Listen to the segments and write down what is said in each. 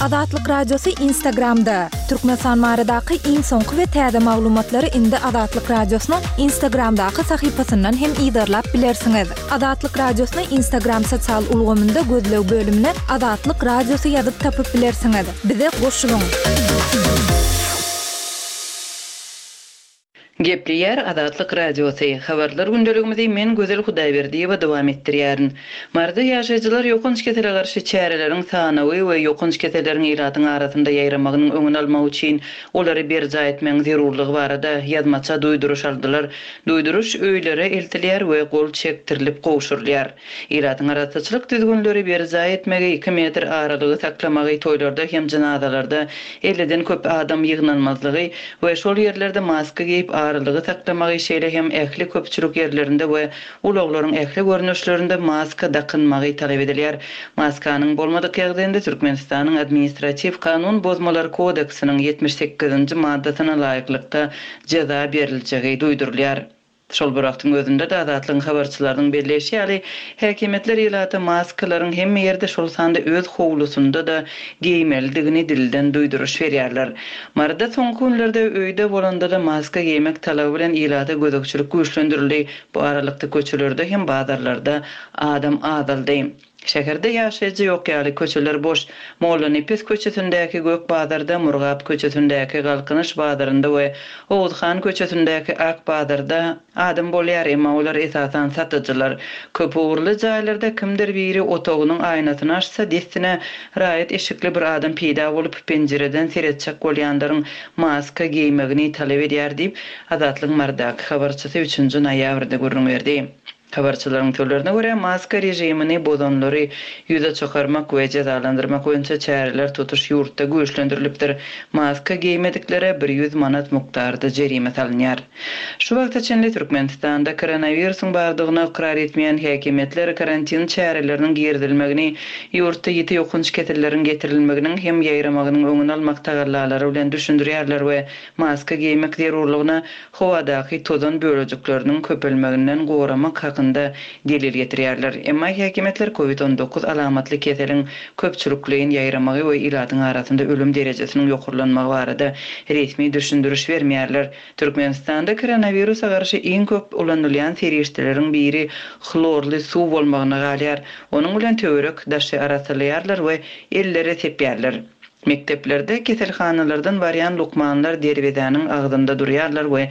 Azatlyk Radiosy Instagramda! Türkmenistan baradaky iň soňky we täze maglumatlary indi Azatlyk Radiosynyň Instagramdaky sahypasyndan hem yzarlap bilersiňiz. Azatlyk Radiosyny Instagram sosial ulgamynda gözleg bölümine Azatlyk Radiosy ýazyp tapyp bilersiňiz. Bize goşulyň! Gepleýär Azatlyk Radiosy, Habarlar gündeligimizi men Gözel Hudaýberdiýewa dowam etdirýärin. Maryda ýaşaýjylar ýokanç kesele garşy çäreleriň sanawy we ýokanç keselleriň ilatyň arasynda ýaýramagynyň öňüni almak üçin olary berjaý etmegiň zerurlygy barada ýazmaça duýduryş aldylar. Duýduryş öýlere eltilýär we gol çekdirilip gowşurylýar. Ilatyň arassaçylyk düzgünleri berjaý etmegi, iki metr aralygy saklamagy, toýlarda hem jynazalarda elliden köp adam ýygnanmazlygy we şol ýerlerde maska geýip aralygy saklamagy, şeýle hem ähli köpçülik ýerlerinde we ulaglaryň ähli görnüşlerinde maska dakynmagy talap edilýär. Maskanyň bolmadyk ýagdaýynda Türkmenistanyň Administratiw kanun bozmalar kodeksiniň 78-nji maddasyna laýyklykda jeza beriljegi duýdurylýar. Şol bir wagtyň özünde-de, Azatlygyň habarçylarynyň belleýşi ýaly, häkimiýetler ilata maskalaryň hemme ýerde, şol sanda öz howlusynda-da geýmelidigini dilden duýduryş berýärler. Maryda soňky günlerde öýde bolanda-da maska geýmek talaby bilen ilata gözegçilik güýçlendirildi. Bu aralykda köçelerde hem bazarlarda adam azaldy. Şäherde ýaşaýjy ýok ýaly, köçeler boş. Mollanepes köçesindäki Gök bazarda, Murgap köçesindäki Galkynyş bazarynda we Oguzhan köçesindäki Ak bazarda adam bolýar, emma olar esasan satyjylar. Köpugurly jaýlarda kimdir biri otagynyň aýnasyny açsa, dessine raýat eşikli bir adam peýda bolup, penjireden seretjek bolýanlaryň maska geýmegini talap edýär diýip, Azatlygyň Marydaky habarçysy üçünji noýabrda gürrüň berdi. Habarçylaryň sözlerine görä, maska režimini bozanlary ýüze çykarmak we jezalandyrmak boýunça çäreler tutuş ýurtda güýçlendirilipdir. Maska geýmediklere 100 manat mukdarda jerime salynýar. Şu wagta çenli Türkmenistanda koronawirusyň bardygyny ykrar etmeýän häkimiýetler karantin çäreleriniň girizilmegini ýurtda ýiti ýokanç keselleriň getirilmeginiň hem ýaýramagynyň öňüni almak tagallalary bilen düşündirýärler we maska geýmek zerurlygyna howadaky tozan bölejikleriniň köpelmeginden goramak hakynda delil getirýärler. Emma häkimiýetler Covid 19 alamatly keseliň köpçülikleýin ýaýramagy we ilatyň arasynda ölüm derejesiniň ýokarlanmagy barada resmi düşündiriş bermeýärler. Türkmenistanda koronawirusa garşy iň köp ulanylýan serişdeleriň biri hlorly suw bolmagyna galýar. Onuň bilen töwerek daşy arassalaýarlar we ellere sepýärler. Mekdeplerde keselhanalardan barýan lukmanlar derwezäniň agzynda durýarlar we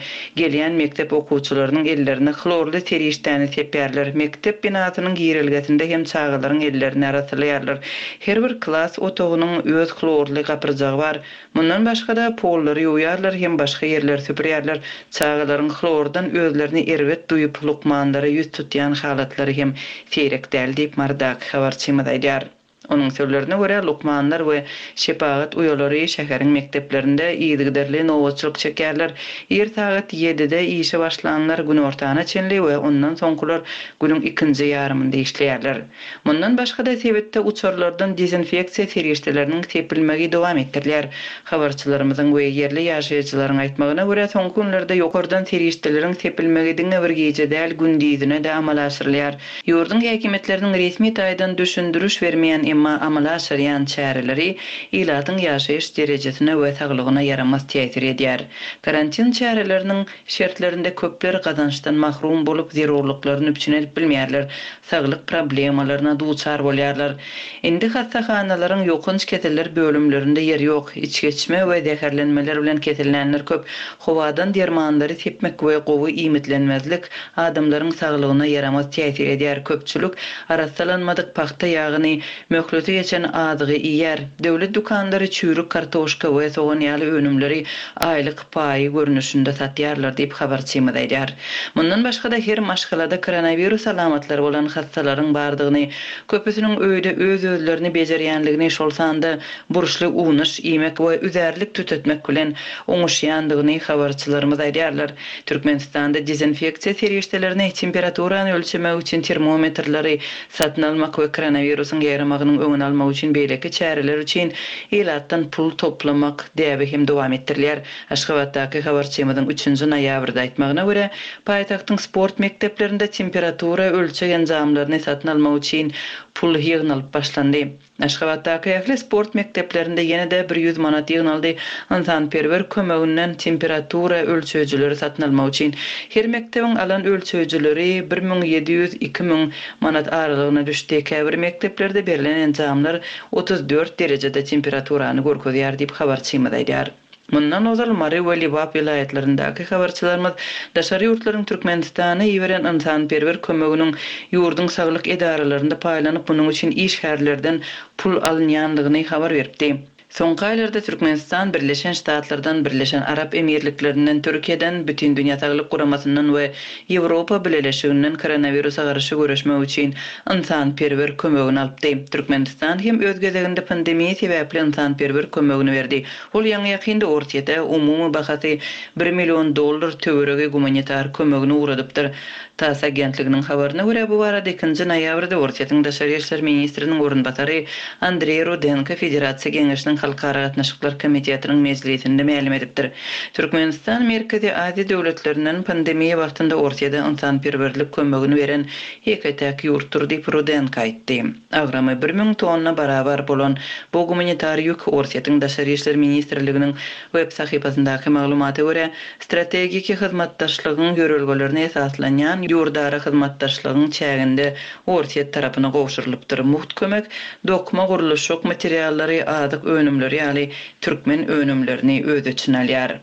gelýän mekdep okuwçylarynyň ellerine hlorly serişdäni sepýärler. Mekdep binasynyň girelgesinde hem çagalaryň ellerini arassalaýarlar. Her bir klas otagynyň öz hlorly gapyrjagy bar. Mundan başga-da, pollary ýuwýarlar hem başga ýerleri süpürýärler. Çagalaryň hlordan özlerini erbet duýup, lukmanlara ýüz tutýan halatlary hem seýrek däl diýip, Marydaky habarçymyz aýdýar. Onuň sözlerine görä, lukmanlar we şepagat uýalary şäheriň mekdeplerinde yzygiderli nobatçylyk çekýärler. Ir sagat ýedide işe başlanlar günortana çenli we ondan soňkular günüň ikinji ýarymynda işleýärler. Mundan başga-da, sebitde uçarlardan dezinfeksiýa serişdeleriniň sepilmegi dowam etdirilýär. Habarçylarymyzyň we ýerli ýaşaýjylaryň aýtmagyna görä, soňky günlerde ýokardan serişdeleriň sepilmegi diňe bir gije däl, gündizine-de amala aşyrylýar. Ýurduň häkimiýetleriniň resmi taýdan düşündiriş bermeýän, emma amala aşyrýan çäreleri ilatyň ýaşaýyş derejesine we saglygyna ýaramaz täsir edýär. Karantin çäreleriniň şertlerinde köpler gazançdan mahrum bolup, zerurlyklaryny üpjün edip bilmeýärler, saglyk problemalaryna duçar bolýarlar. Indi hassahanalaryň ýokanç keseller bölümlerinde ýer ýok. Içgeçme we zäherlenmeler bilen kesellänler köp. Howadan dermanlary sepmek we gowy iýmitlenmezlik adamlaryň saglygyna ýaramaz täsir edýär. Köpçülik arassalanmadyk pagta ýagyny, möhleti geçen azygy iýýär. Döwlet dükanlary çüýrük kartoşka we sogan ýaly önümleri aýlyk paýy görnüşinde satýarlar diýip, habarçymyz aýdýar. Mundan başga-da, her maşgalada koronawirus alamatlary bolan hassalaryň bardygyny, köpüsiniň öýde öz-özlerini bejerýändigini, şol sanda burçly unaş iýmek we üzärlik tütetmek bilen oňuşýandygyny habarçylarymyz aýdýarlar. Türkmenistanda dezinfeksiýa serişdelerini, temperaturany ölçemek üçin termometrleri satyn almak we koronawirusyň ýaýramagynyň öňüni almak üçin beýleki çäreler üçin ilatdan pul toplamak däbi hem dowam etdirilýär. Aşgabatdaky habarçymyzyň üçünji noýabrda aýtmagyna görä, paýtagtyň sport mekdeplerinde temperatura ölçeg enjamlaryny satyn almak üçin. pul ýygnalyp başlandy. Aşgabatdaky ähli sport mekdeplerinde ýene-de bir ýüz manat ýygnaldy. Ynsanperwer kömeginden temperatura ölçeýjileri satyn almak üçin. Her mekdebiň alan ölçeýjileri 1700, 2000 manat aralygyna düşdi. Käbir mekdeplerde berlen enjamlar 34 derejede temperaturany görkezýär diýip, habarçymyz aýdýar. Mundan ozal Mary we Lebap welaýatlaryndaky habarçylarymyz daşary ýurtlaryň Türkmenistana iberen ynsanperwer kömeginiň ýurduň saglyk edaralarynda paýlanyp, munuň üçin işgärlerden pul alynýandygyny habar beripdi. Soňky aýlarda Türkmenistan Birleşen Ştatlardan, Birleşen Arap Emirliklerinden, Türkiýeden, Bütindünýä Saglyk Guramasyndan we Ýewropa Bileleşiginden koronawirusa garşy göreşmek üçin ynsanperwer kömegini alypdy. Türkmenistan hem öz gezeginde pandemiýa sebäpli ynsanperwer kömegini berdi. Ol ýaňy-ýakynda Orsýete umumy bahasy bir million dollar töweregi gumanitar kömegini ugradypdyr. Tass agentliginiň habaryna görä, bu barada ikinji noýabrda Orsýetiň daşary işler ministriniň orunbasary Andreý Rudenko Federasiýa Geňeşiniň Halkara gatnaşyklar komitetiniň mejlisinde mälim edipdir. Türkmenistan Merkezi Aziýa döwletlerinden pandemiýa wagtynda Orsýete ynsanperwerlik kömegini beren ýeke-täk ýurtdur diýip, Rudenko aýtdy. Agramy 1000 tonna barabar bolan bu gumanitar ýük Orsýetiň Daşary işler ministrliginiň web sahypasyndaky maglumata görä, strategiki hyzmatdaşlygyň ýörelgelerine esaslanýan ýurdara hyzmatdaşlygyň çäginde Orsýet tarapyna gowşurylypdyr. Mugt kömek dokma, gurluşyk materiallary, azyk önümleri ýaly türkmen önümlerini öz içine alýar.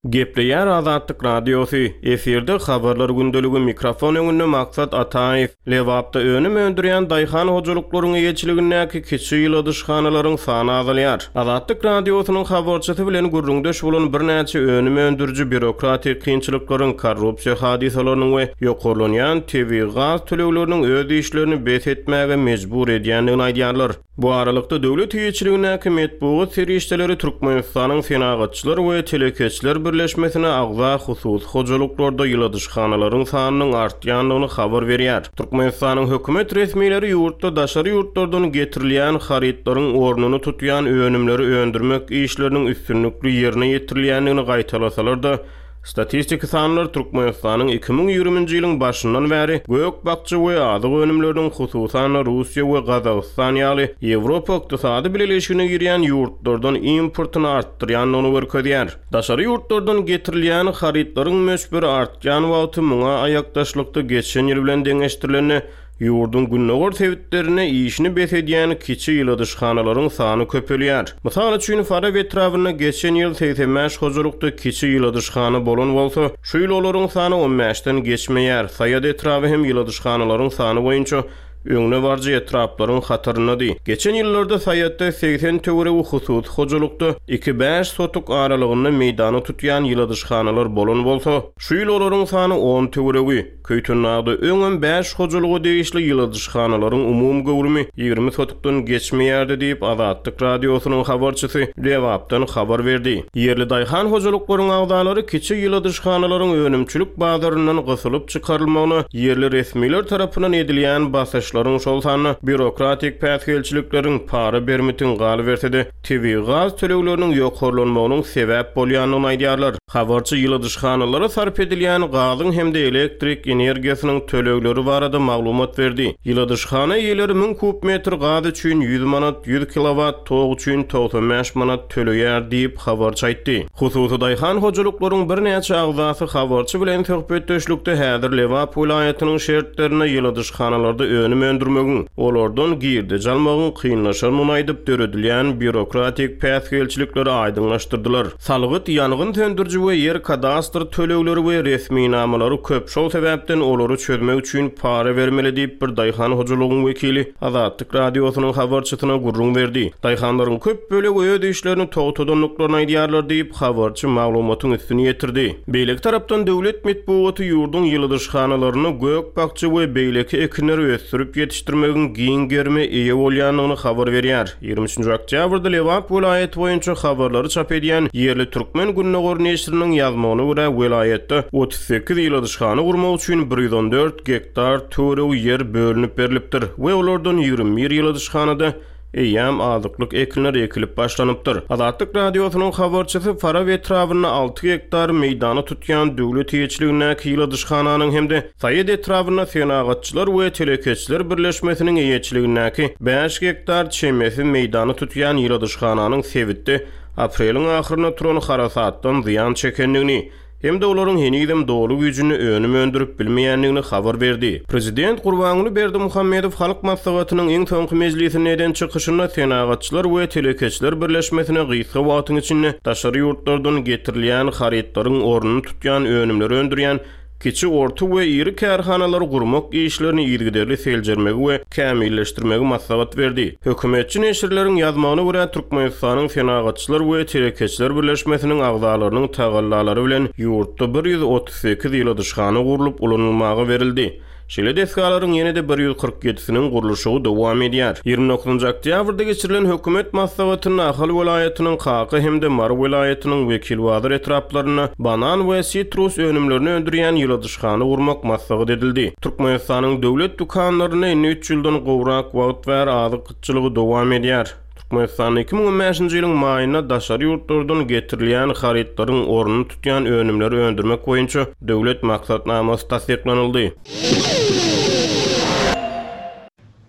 Gepleýär Azatlyk Radiosy, efirde Habarlar gündeligi, mikrofon öňünde Maksat Ataýew. Lebapda önüm öndürýän daýhan hojalyklaryň eýeçiligindäki kiçi ýyladyşhanalaryň sany azalýar. Azatlyk Radiosynyň habarçysy bilen gürrüňdeş bolan birnäçe önüm öndüriji býurokratik kynçylyklaryň, korrupsiýa hadysalarynyň we ýokarlanýan tebigy gaz tölegleriniň öz işlerini bes etmäge mejbur edýändigini aýdýarlar. Bu aralykda, döwlet eýeçiligindäki metbugat serişdeleri Türkmenistanyň Senagatçylar we telekeçiler birleşmesine agza hususy hojalyklarda ýyladyşhanalaryň sanynyň artýandygyny habar berýär. Türkmenistanyň hökümet resmileri ýurtda daşary ýurtlardan getirilýän harytlaryň ornuny tutýan önümleri öndürmek işleriniň üstünlikli ýerine ýetirilýändigini gaýtalasalar-da, Statistiki sanlar Türkmenistanyň 2020-nji ýylyň başyndan bäri gök-bakja we azyk önümleriniň, hususan-da, Russiýa we Gazagystan ýaly Ýewropa Ykdysady Bileleşigine girýän ýurtlardan importyny artdyrýandygyny görkezýär. Daşary ýurtlardan getirilýän harytlaryň möçberi artýan wagty muňa aýakdaşlykda geçen ýyl bilen deňeşdirilende Ýurduň gündogar sebitlerinde işini bes edýän kiçi ýyladyşhanalaryň sany köpelýär. Mysal üçin, Farap etrabynda geçen ýyl 85 hojalykda kiçi ýyladyşhana bolan bolsa, şu ýyl olaryň sany on bäşden geçmeýär. Saýat etraby hem ýyladyşhanalaryň sany boýunça öňdebaryjy etraplaryň hataryndady. Geçen ýyllarda Saýatda 80 töweregi hususy hojalykda iki-bäş sotuk aralygynda meýdany tutýan ýyladyşhanalar bolan bolsa, şu ýyl olaryň sany on töweregi. Köýtendagda öňem bäş hojalyga degişli ýyladyşhanalaryň umumy göwrümi 20 sotykdan geçmeýärdi diýip, Azatlyk Radiosynyň habarçysy Lebapdan habar berdi. Ýerli daýhan hojalyklaryň agzalary kiçi ýyladyşhanalaryň önümçilik bazaryndan gysylyp çykarylmagyna ýerli resmiler tarapyndan edilýän basyşlaryň, şol sanda býurokratik päsgelçilikleriň, para-bermitiň, galyberse-de, tebigy gaz tölegleriniň ýokarlanmagynyň sebäp bolýandygyny aýdýarlar. Habarçy ýyladyşhanalara sarp edilýän gazyň hem-de elektrik energiýasynyň tölegleri barada maglumat berdi. Ýyladyşhana eýeleri 1000 kub metr gaz üçin 100 manat, 100 kilowat tok üçin 95 manat töleýär diýip, habarçy aýtdy. Hususy daýhan hojalyklaryň birnäçe agzasy habarçy bilen söhbetdeşlikde häzir Lebap welaýatynyň şertlerinde ýyladyşhanalarda önüm öndürmegiň, olardan girdeji almagyň kynlaşandygyny aýdyp, döredilýän býurokratik päsgelçilikleri aýdyňlaşdyrdylar. Salgyt, ýangyn söndüriji we ýer kadastr tölegleri we resminamalary köp, şol sebäpden olary çözmek üçin para bermeli diýip, bir daýhan hojalygyň wekili Azatlyk Radiosynyň habarçysyna gürrüň berdi. Daýhanlaryň köp bölegi öz işlerini togtadandyklaryny aýdýarlar diýip, habarçy maglumatyň üstüni ýetirdi. Beýleki tarapdan, döwlet metbugaty ýurduň ýyladyşhanalarynda gök-bakja we beýleki ekinleri ösdürip ýetişdirmegiň giň gerime eýe bolýandygyny habar berýär. 23-nji oktýabrda Lebap welaýaty boýunça habarlary çap edýän ýerli Türkmen gündogar neşiriniň ýazmagyna görä, welaýatda 38 ýyladyşhana gurmak üçin 114 gektar töweregi ýer bölünip berlipdir we olardan 21 ýyladyşhanada. eýýäm azyklyk ekinler ekilip başlanypdyr. Azatlyk Radiosynyň habarçysy Farap etrabynda alty gektar meýdany tutýan döwlet eýeçiligindäki ýyladyşhananyň hem-de Saýat etrabynda Senagatçylar we telekeçiler birleşmesiniň eýeçiligindäki bäş gektar çemesi meýdany tutýan ýyladyşhananyň sebitde apreliň ahyrynda turan harasatdan zyýan çekendigini hem-de olaryň henizem doly güýjünde önüm öndürip bilmeýändigini habar berdi. Prezident Gurbanguly Berdimuhamedow Halk Maslahatynyň iň soňky mejlisinde eden çykyşynda Senagatçylar we telekeçiler birleşmesine gysga wagtyň içinde daşary ýurtlardan getirilýän harytlaryň ornuny tutýan önümleri öndürýän kiçi, orta we iri kärhanalary gurmak işlerini yzygiderli seljermegi we kämilleşdirmegi maslahat berdi. Hökümetçi neşirleriň ýazmagyna görä, Türkmenistanyň Senagatçylar we telekeçiler birleşmesiniň agzalarynyň tagallalary bilen ýurtda 138 ýyladyşhana gurlup ulanylmaga berildi. Şeýle desgalaryň ýene-de bir 147-siniň gurluşygy dowam edýär. 29-njy oktýabrda geçirilen hökümet maslahatynda Ahal welaýatynyň Kaka hem-de Mary welaýatynyň Wekilbazar etraplarynda banan we sitrus önümlerini öndürýän ýyladyşhana gurmak maslahat edildi. Türkmenistanyň döwlet dükanlarynda indi üç ýyldan gowrak wagt bäri azyk gytçylygy dowam edýär. Türkmenistanda 2015-nji ýylyň maýynda daşary ýurtlardan getirilýän harytlaryň ornuny tutýan önümleri öndürmek boýunça döwlet maksatnamasy tassyklanyldy.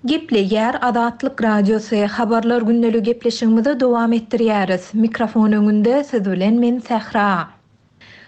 Gepleýär Azatlyk Radiosy, Habarlar gündeligi gepleşigimizi dowam etdirýäris. Mikrofon öňünde siz bilen men Sähra.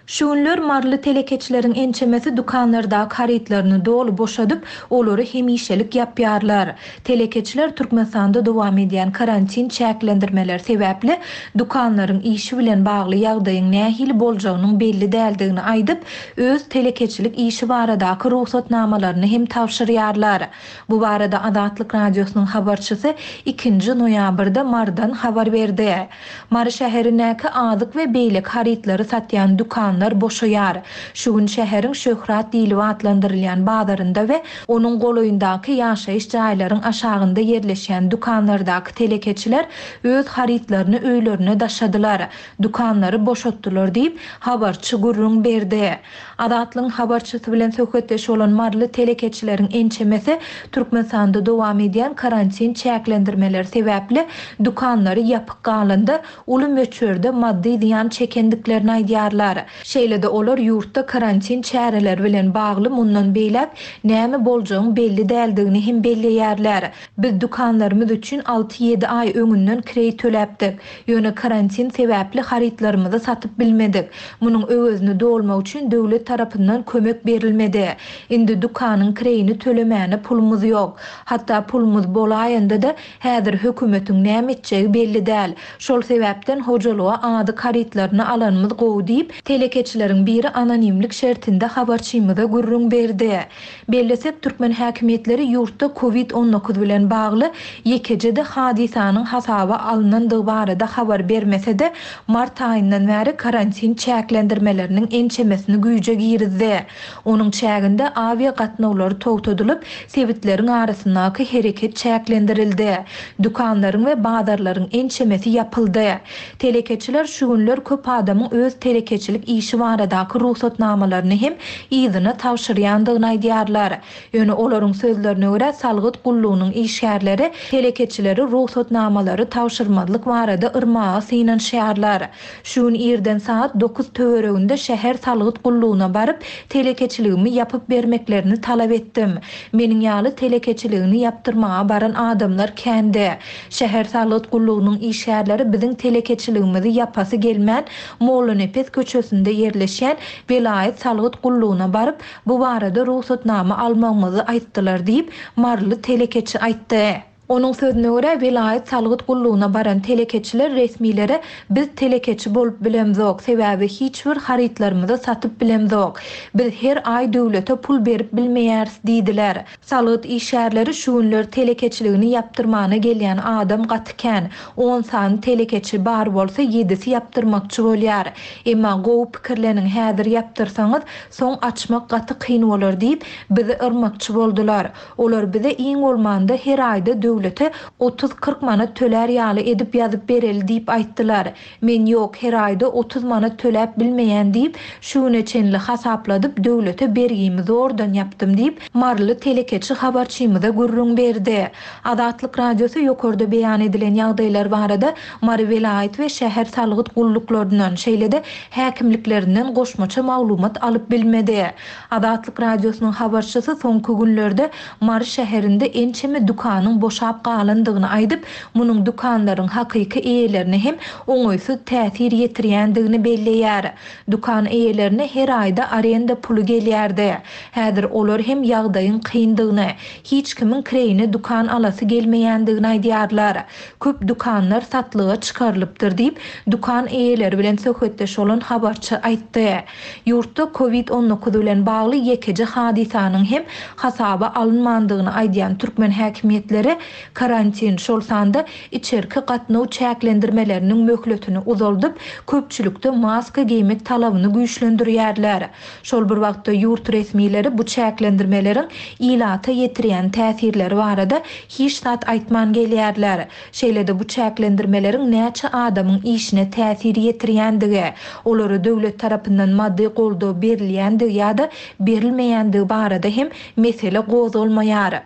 Şu günler maryly telekeçileriň ençemesi dükanlardaky harytlaryny doly boşadyp, olary hemişelik ýapýarlar. Telekeçiler Türkmenistanda dowam edýän karantin çäklendirmeleri sebäpli dükanlaryň işi bilen bagly ýagdaýyň nähili boljagynyň belli däldigini aýdyp, öz telekeçilik işi baradaky rugsatnamalaryny hem tabşyrýarlar. Bu barada Azatlyk Radiosynyň habarçysy ikinji noýabrda Marydan habar berdi. Mary şäherindäki azyk we beýleki harytlary satýan dükanlar boşaýar. Şu gün şäheriň Şöhrat diýlip atlandyrylýan bazarynda we onuň golaýyndaky ýaşaýyş jaýlaryň aşagynda ýerleşýän dükanlardaky telekeçiler öz harytlaryny öýlerine daşadylar, dükanlary boşatdylar diýip, habarçy gürrüň berdi. Azatlygyň habarçysy bilen söhbetdeş bolan maryly telekeçileriň ençemesi Türkmenistanda dowam edýän karantin çäklendirmeleri sebäpli dükanlary ýapyk galanda uly möçberde maddy zyýan çekendiklerini aýdýarlar. Şeýle-de olar ýurtda karantin çäreleri bilen bagly mundan beýläk näme boljagyň belli däldigini hem belleýärler. Biz dükanlarymyz üçin alty-ýedi aý öňünden kireý töläpdik. Ýöne karantin sebäpli harytlarymyzy satyp bilmedik. Munuň öwezini dolmak üçin döwlet tarapyndan kömek berilmedi. Indi dükanyň kireýini tölemäne pulumyz ýok. Hatda pulumyz bolaýanda-da, häzir hökümetiň näme etjegi belli däl. Şol sebäpden hojalyga azyk harytlaryny alanymyz gowy diýip, telekeçileriň biri anonimlik şertinde habarçymyza gürrüň berdi. Bellesek, türkmen häkimiýetleri ýurtda Covid 19 bilen bagly ýekeje-de hadysanyň hasaba alnandygy barada habar bermese-de, mart aýyndan bäri karantin çäklendirmeleriniň ençemesini güýje girizdi. Onuň çäginde awia gatnawlary togtadylyp, sebitleriň arasyndaky hereket çäklendirildi. Dükanlaryň we bazarlaryň ençemesi ýapyldy. Telekeçiler şu günler köp adamyň öz telekeçilik işi baradaky rugsatnamalaryny hem yzyna tabşyrýandygyny aýdýarlar. Ýöne olaryň sözlerine görä, salgyt gullugynyň işgärleri telekeçileri rugsatnamalary tabşyrmazlyk barada yrmaga synanyşýarlar. Şu gün irden sagat dokuz töwereginde şäher salgyt gullugyna baryp, telekeçiligimi ýapyp bermeklerini talap etdim. Meniň ýaly telekeçiligini ýapdyrmaga baran adamlar kändi. Şäher salgyt gullugynyň işgärleri biziň telekeçiligimizi ýapasy gelmän, Mollanepes köçesinde ýerleşýän welaýat salgyt gullugyna baryp, bu barada rugsatnama almagymyzy aýtdylar diýip, maryly telekeçi aýtdy. Onuň sözüne görä, welaýat salgyt gullugyna baran telekeçiler resmilere biz telekeçi bolup bilemzok, sebäbi hiç bir harytlarymyzy satyp bilemzok. Biz her aý döwlete pul berip bilmeýäris diýdiler. Salgyt işgärleri şu günler telekeçiligini ýapdyrmana gelýän adam gaty kän. On sany telekeçi bar bolsa ýedisi ýapdyrmakçy bolýar. Emma gowy pikirleniň häzir ýapdyrsaňyz soň açmak gaty kyn bolar diýip bizi yrmakçy boldular. Olar bize iň bolmanda her aýda döwlet. döwlete otuz-kyrk manat tölär ýaly edip ýazyp bereli diýip aýtdylar. Men ýok, her aýda 30 manat töläp bilmeýän diýip, şu güne çenli hasapladyp, döwlete bergimi zordan ýapdym diýip, maryly telekeçi habarçymyza gürrüň berdi. Azatlyk Radiosy ýokarda beýan edilen ýagdaýlar barada Mary welaýat we şäher salgyt gulluklaryndan, şeýle-de häkimliklerinden goşmaça maglumat alyp bilmedi. Azatlyk Radiosynyň habarçysy soňky günlerde Mary şäherinde ençeme dükanyň boşap galandygyny aýdyp, munuň dükanlaryň hakyky eýelerine hem oňaýsyz täsir ýetirýändigini belleýär. Dükan eýelerine her aýda arenda puly gelýärdi. Häzir olar hem ýagdaýyň kyndygyny, hiç kimiň kireýine dükan alasy gelmeýändigini aýdýarlar. Köp dükanlar satlyga çykarylypdyr diýip, dükan eýeleri bilen söhbetdeş bolan habarçy aýtdy. Ýurtda Covid 19 bilen bagly ýekeje hadysanyň hem hasaba alynmandygyny aýdýan türkmen häkimiýetleri karantin, şol sanda içerki gatnaw çäklendirmeleriniň möhletini uzaldyp, köpçülikde maska geýmek talabyny güýçlendirýärler. Şol bir wagtda ýurt resmileri bu çäklendirmeleriň ilata ýetirýän täsirleri barada hiç zat aýtman gelýärler. Şeýle-de bu çäklendirmeleriň näçe adamyň işine täsir ýetirýändigi, olara döwlet tarapyndan maddy goldaw berilýändigi ýa-da berilmeýändigi barada hem mesele gozgalmaýar.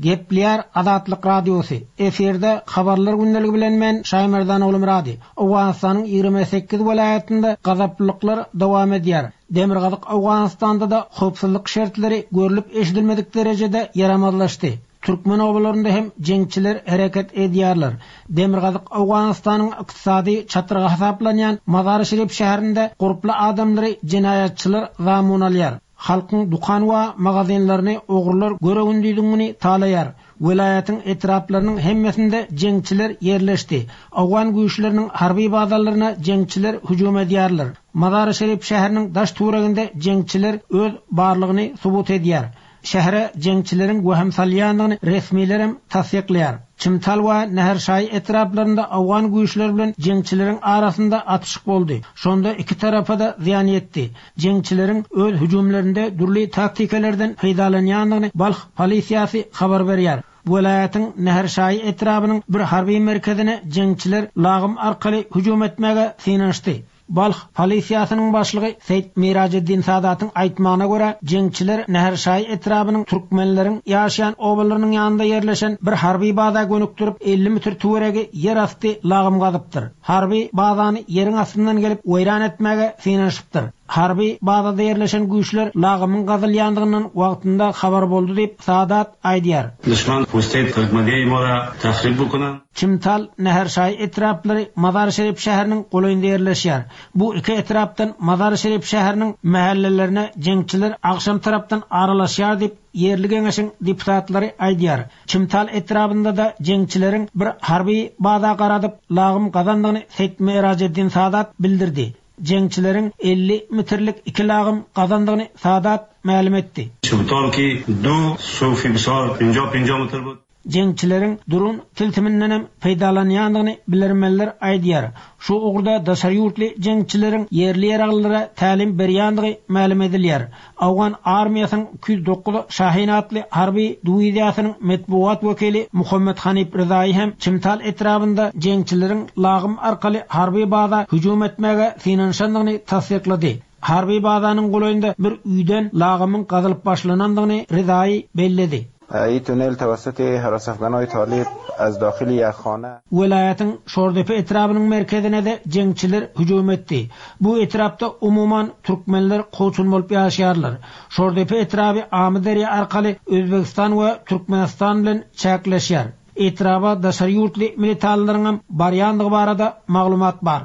Gepleýär Azatlyk Radiosy, Efirde Habarlar gündeligi bilen men Şaýmerdan Oglumyrady. Owganystanyň 28 welaýatynda gazaplylyklar dowam edýär. Demirgazyk Owganystanda-da howpsuzlyk şertleri görlüp-eşidilmedik derejede ýaramazlaşdy. Türkmen obalarynda hem jeňçiler hereket edýärler. Demirgazyk Owganystanyň ykdysady çatrygy hasaplanýan Mazary-Şerif şäherinde gurply adamlary jenaýatçylar zamun alýar. Halkyň dükan we magazinlerini ogrular göre-gündiziň güni talaýar. Welaýatyň etraplarynyň hemmesinde jeňçiler ýerleşdi. Owgan güýçleriniň harby bazalaryna jeňçiler hüjüm edýärler. Mazary-Şerif şäheriniň daş-töwereginde jeňçiler öz barlygyny subut edýär. Şähere jeňçileriň wehim salýandygyny resmilerem tassyklaýar. Çimtal we Näherşaýy etraplarynda owgan güýçleri bilen jeňçileriň arasynda atyşyk boldy. Şonda iki tarapa-da zyýan ýetdi. Jeňçileriň öz hüjümlerinde dürli taktikalardan peýdalanýandygyny Balh polisiýasy habar berýär. Welaýatyň Näherşaýy etrabynyň bir harby merkezine jeňçiler lagym arkaly hüjüm etmäge synanyşdy. Balh polisiýasynyň başlygy Seýit Mirajeddin Sadatyň aýtmagyna görä, jeňçiler Näherşaýy etrabynyň türkmenleriň ýaşaýan obalarynyň ýanynda ýerleşen bir harby baza gönükdirip, 50 metr töweregi ýerasty lagym gazypdyr. Harby bazany ýeriň astyndan gelip weýran etmäge synanyşypdyr. Harby bazada ýerleşen güýçler lagymyň gazylýandygyndan wagtynda habar boldy diýip, Sadat aýdýar. Duşman pustey tagmadeyi mora tahrib bukunan. Çimtal, Näherşaýy etraplary Mazar-Şerif şäheriniň golaýynda ýerleşýär. Bu iki etrapdan Mazar-Şerif şäheriniň mähellelerine jeňçiler agşam tarapdan aralaşýar diýip, ýerli geňeşiň deputatlary aýdýar. Çimtal etrabynda-da jeňçileriň bir harby baza garadyp, lagym gazandygyny Seýit Merajeddin Sadat bildirdi. Jeňçileriň 50 metrlik iki lagym gazandygyny Sadat mälim etdi. Çimtal ki du sufi bisar penja penja metr bud. Jeňçileriň dron tilsimindenem peýdalanýandygyny bilermenler aýdýar. Şu ugurda daşary ýurtly jeňçileriň ýerli ýaraglylara tälim berýändigi mälim edilýär. Owgan armiýasynyň 209 Şahin atly harby diwiziýasynyň metbugat wekili Muhammet Hanif Rezaýy hem Çimtal etrabynda jeňçileriň lagym arkaly harby baza hüjüm etmäge synanyşandygyny tassyklady. Harby bazanyň golaýynda bir öýden lagymyň gazylyp başlanandygyny Rezaýy belledi. ای تونل توسط هراسافگنای طالب از داخل یک خانه. Welaýatyň Şordepe etrabynyň merkezine-de jeňçiler hüjüm etdi. Bu etrapda umuman türkmenler kowçum bolup ýaşaýarlar. Şordepe etraby Amyderýa arkaly Özbegistan we Türkmenistan bilen çäkleşýär. Etraba daşary ýurtly militanlaryňam barýandygy barada maglumat bar.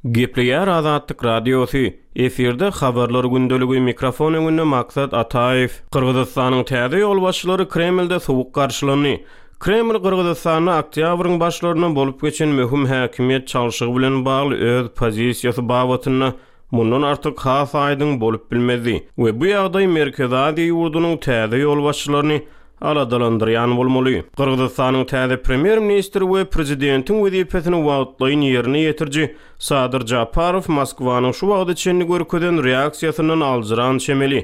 Gepleýär Azatlyk Radiosy, Efirde Habarlar gündeligi, mikrofon öňünde Maksat Ataýew. Gyrgyzystanyň täze ýolbaşçylary Kremlde sowuk garşylandy. Kreml Gyrgyzystanda oktýabryň başlarynda bolup geçen möhüm häkimiýet çalşygy bilen bagly öz pozisiýasy babatynda mundan artyk has aýdyň bolup bilmezdi we bu ýagdaý Merkezi Aziýa ýurdunyň täze ýolbaşçylaryny aladalandyrýan bolmaly. Gyrgyzystanyň täze premýer-ministri we prezidentiň wezipesini wagtlaýyn ýerine ýetiriji Sadyr Japarow Moskwanyň şu wagta çenli görkezen reaksiýasyndan aljyran çemeli.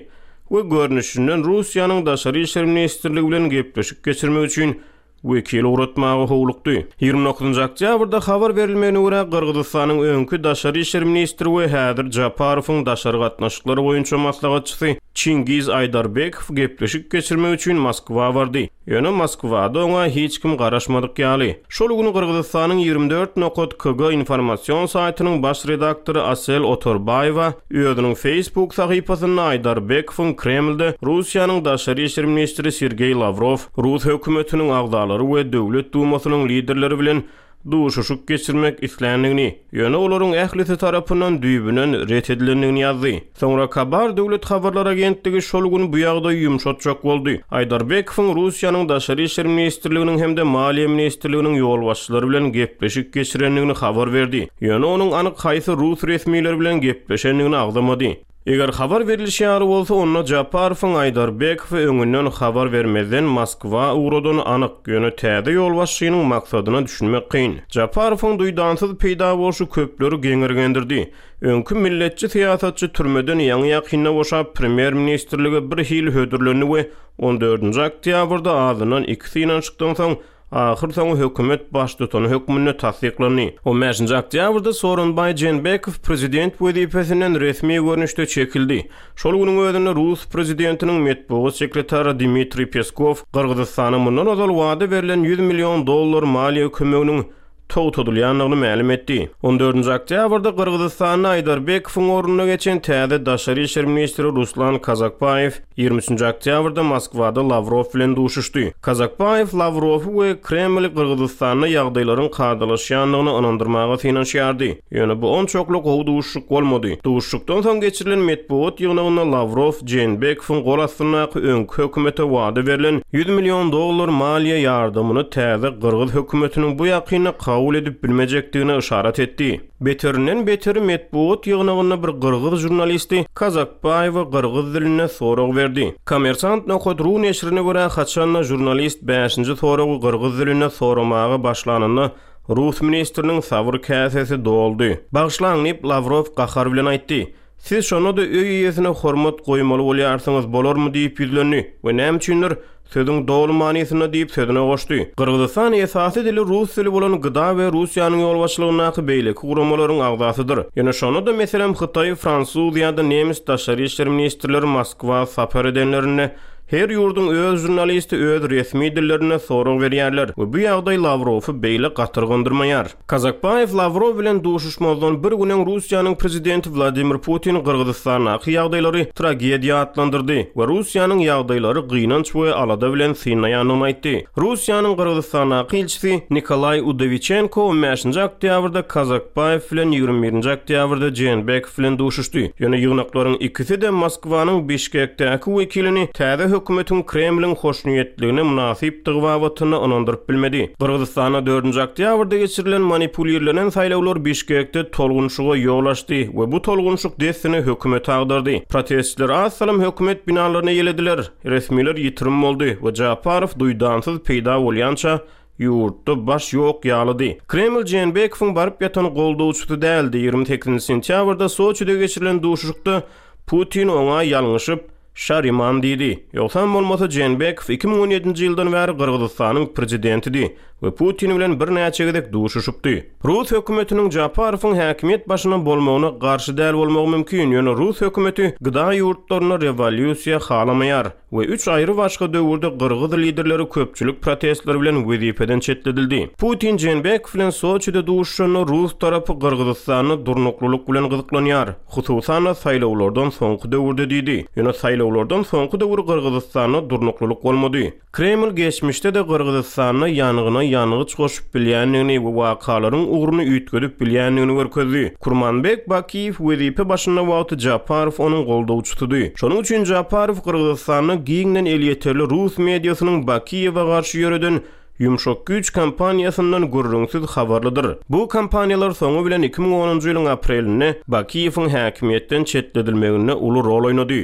we görnüşinden Russiýanyň Daşary işler ministrligi bilen gepleşik geçirmek üçin wekil ugratmaga howlukdy. 29-njy oktýabrda habar berilmegine görä, Gyrgyzystanyň öňki daşary işler ministri we häzir Japarowyň daşary gatnaşyklar boýunça maslahatçysy Çingiz Aýdarbekow gepleşik geçirmek üçin Moskwa bardy. Ýöne Moskwada oňa hiç kim garaşmadyk ýaly. Şol gün Gyrgyzystanyň 24 nokat kg informasion saýtynyň baş redaktory Asel Otorbaýewa özüniň Facebook sahypasynda Aýdarbekowyň Kremlde Russiýanyň daşary işler ministri Sergeý Lawrow, rus hökümetiniň agzalary we Döwlet Dumasynyň liderleri bilen duşuşyk geçirmek isländigini, ýöne olaryň ählisi tarapyndan düýbünden ret edilendigini ýazdy. Soňra Kabar döwlet habarlar agentligi şol gün bu ýagdaýy ýumşatjak boldy. Aýdarbekowyň Russiýanyň Daşary işler ministrliginiň hem-de Maliýe ministrliginiň ýolbaşçylary bilen gepleşik geçirendigini habar berdi. Ýöne onuň anyk haýsy rus resmileri bilen gepleşendigini agzamady. Eger habar berlişi ýaly bolsa, onda Japarowyň Aýdarbekowy öňünden habar bermezden Moskwa ugradany anyk, ýöne täze ýolbaşçynyň maksadyna düşünmek kyn. Japarowyň duýdansyz peýda bolşy köpleri geňirgendirdi. Öňki milletçi syýasatçy türmeden ýaňy-ýakynda boşap, premýer-ministrlige birhili hödürlendi we on dördünji oktýabrda azyndan iki synanyşykdan soň Ahyrsoňy hökümet baştutany hökmünde tassyklandy. On bäşinji oktýabrda Sooronbaý Jeenbekow prezident wezipesinden resmi görnüşde çekildi. Şol günüň özünde rus prezidentiniň metbugat sekretary Dmitriý Peskow Gyrgyzystana mundan ozal wada berlen 100 million dollar maliýe kömeginiň togtadylýandygyny mälim etdi. On dördünji oktýabrda Gyrgyzystanda Aýdarbekowyň ornuna geçen täze daşary işler ministri Ruslan Kazakbaýew 23-nji oktýabrda Moskwada Lawrow bilen duşuşdy. Kazakbaýew Lawrowy we Kremli Gyrgyzystanda ýagdaýlaryň kadalaşýandygyna ynandyrmaga synanyşýardy. Ýöne bu onçakly gowy duşuşyk bolmady. Duşuşykdan soň geçirilen metbugat ýygnagynda Lawrow Jeenbekowyň gol astyndaky öňki hökümete wada berlen 100 million dollar maliýe ýardamyny täze gyrgyz hökümetiniň bu ýakynda kabul edip bilmejekdigine yşarat etdi. Beterinden beteri metbugat ýygnagynda bir gyrgyz žurnalisti Kazakbaýewe gyrgyz dilinde sorag berdi. Kommersant nokat ru neşirine görä, haçan-da žurnalist bäşinji soragy gyrgyz dilinde soramaga başlanynda, Rus ministriniň sabyr käsesi doldy. Bagyşlaň, diýip, Lawrow gahar bilen aýtdy. Siz şonda-da öý eýesine hormat goýmaly bolýarsyňyz, bolarmy diýip ýüzlendi we näme üçindir, sözüň doly manysynda diýip sözüne goşdy. Gyrgyzystan esasy dili rus dili bolan GDA we Russiýanyň ýolbaşçylygyndaky beýleki guramalaryň agzasydyr. Ýöne şonda-da, meselem, hytaý, fransuz ýa-da nemes daşary işler ministrleri Moskwa sapar edenlerinde, Her ýurduň öz žurnalisti öz resmi dillerinde sorag berýärler we bu ýagdaý Lawrowy beýle gatyrgandyrmaýar. Kazakbaýew Lawrow bilen duşuşmazdan bir gün öň Russiýanyň prezidenti Wladimir Putin Gyrgyzystandaky ýagdaýlary tragediýa atlandyrdy we Russiýanyň ýagdaýlary gynanç we alada bilen synlaýandygyny aýtdy. Russiýanyň Gyrgyzystandaky ilçisi Nikolaý Udowiçenko on bäşinji oktýabrda Kazakbaýew bilen 21-nji oktýabrda Jeenbekow bilen duşuşdy. Ýöne ýygnaklaryň ikisi-de Moskwanyň Bişkekdäki wekilini täze hökümetiň Kremliň hoşniýetligine mynasypdygy babatynda ynandyryp bilmedi. Gyrgyzystanda dördünji oktýabrda geçirilen manipulirlenen saýlawlar Bişkekde tolgunşyga ýol açdy we bu tolgunşyk dessine hökümeti agdardy. Protestçiler az salym hökümet binalaryny eýelediler, resmiler ýitirim boldy we Japarow duýdansyz peýda bolýança Ýurtda baş ýok ýalydy. Kreml Jeenbekowyň baryp ýatan goldawçysy däldi. 28 sentýabrda Soçide geçirilen duşuşykda Putin oňa ýalňyşyp, Şariman diýdi. Ýogsam bolmasa Jeenbekow 2017-nji ýyldan bäri Gyrgyzystanyň prezidentidi we Putin bilen birnäçe gezek duşuşypdy. Rus hökümetiniň Japarowyň häkimiýet başynda bolmagyna garşy däl bolmagy mümkin, ýöne rus hökümeti GDA ýurtlarynda rewolýusiýa halamaýar. we üç aýry başga döwürde gyrgyz liderleri köpçülik protestleri bilen wezipeden çetledildi. Putin Jeenbekow bilen Soçide duşuşanda rus tarapy Gyrgyzystanda durnuklylyk bilen gyzyklanýar, hususan-da saýlawlardan soňky döwürde diýdi. Ýöne saýlawlardan soňky döwür Gyrgyzystanda durnuklylyk bolmady. Kreml geçmişde-de Gyrgyzystanda ýangyna ýangyç goşup bilýändigini we wakalaryň ugruny üýtgedip bilýändigini görkezdi. Kurmanbek Bakiýew wezipe başynda wagty Japarow onuň goldawçysydy. Şonuň üçin Japarow Gyrgyzystanda giňden elýeterli rus mediasynyň Bakiýewe garşy ýöreden ýumşak güýç kampaniýasyndan gürrüňsiz habarlydyr. Bu kampaniýalar soňy bilen 2010-njy ýylyň aprelinde Bakiýewiň häkimiýetden çetledilmeginde uly rol oýnady.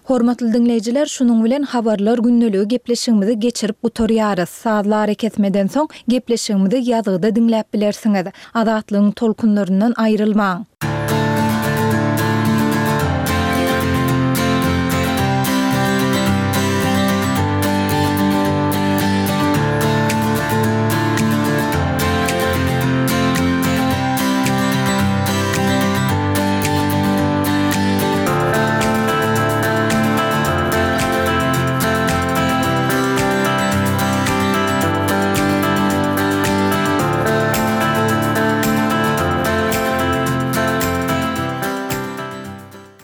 Hormatly diňleýjiler, şunuň bilen Habarlar gündeligi gepleşigimizi geçirip gutarýarys. Sazly arakesmeden soň gepleşigimizi ýazgyda diňläp bilersiňiz. Azatlygyň tolkunlaryndan aýrylmaň!